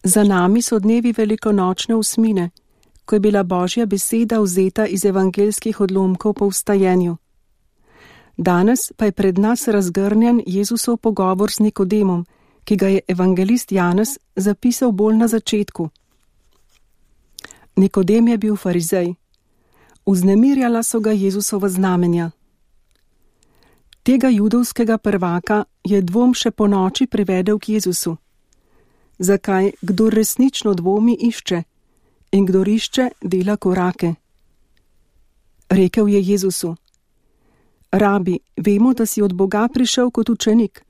Za nami so dnevi velikonočne osmine, ko je bila Božja beseda vzeta iz evangeljskih odlomkov po vstajenju. Danes pa je pred nas razgrnjen Jezusov pogovor z Nikodemom, ki ga je evangelist Janez zapisal bolj na začetku. Nikodem je bil farizej. Vznemirjala so ga Jezusova znamenja. Tega judovskega prvaka je dvom še po noči privedel k Jezusu. Zakaj kdor resnično dvomi išče in kdor išče dela korake? Rekel je Jezusu: Rabi, vemo, da si od Boga prišel kot učenik.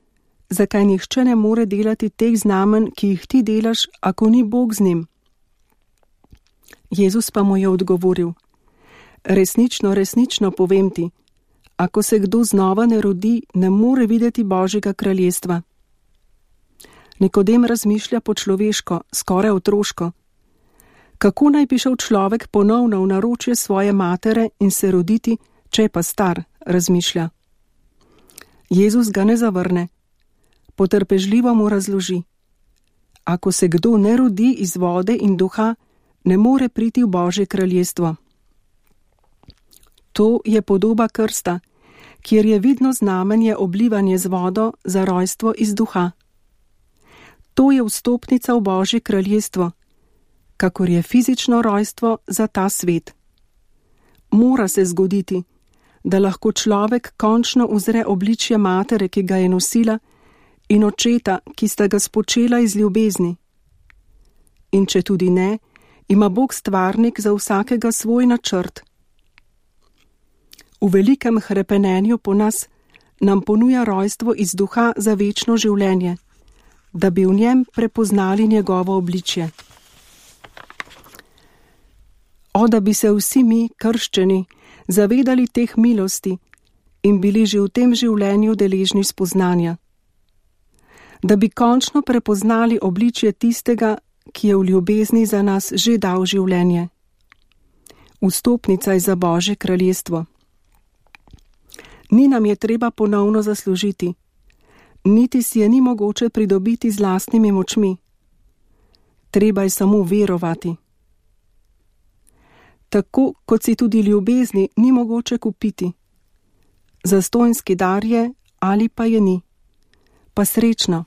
Zakaj nihče ne more delati teh znamenj, ki jih ti delaš, ako ni Bog z njim? Jezus pa mu je odgovoril: Resnično, resnično povem ti, ako se kdo znova ne rodi, ne more videti Božjega kraljestva. Nikodem razmišlja po človeško, skoraj otroško. Kako naj bi šel človek ponovno v naročje svoje matere in se roditi, če je pa star, razmišlja. Jezus ga ne zavrne. Potrpežljivo mu razloži: Ako se kdo ne rodi iz vode in duha, ne more priti v Božje kraljestvo. To je podoba krsta, kjer je vidno znamenje oblivanje z vodo za rojstvo iz duha. To je vstopnica v Božje kraljestvo, kakor je fizično rojstvo za ta svet. Mora se zgoditi, da lahko človek končno uzre obličje matere, ki ga je nosila, in očeta, ki sta ga spočela iz ljubezni. In če tudi ne, ima Bog stvarnik za vsakega svoj načrt. V velikem hrepenenju po nas nam ponuja rojstvo iz duha za večno življenje, da bi v njem prepoznali njegovo obličje. O, da bi se vsi mi, krščeni, zavedali teh milosti in bili že v tem življenju deležni spoznanja. Da bi končno prepoznali obličje tistega, ki je v ljubezni za nas že dal življenje. Vstopnica je za Božje kraljestvo. Ni nam je treba ponovno zaslužiti, niti si je ni mogoče pridobiti z lastnimi močmi. Treba je samo verovati. Tako kot si tudi ljubezni ni mogoče kupiti. Zastonjski dar je ali pa je ni. Pa srečno!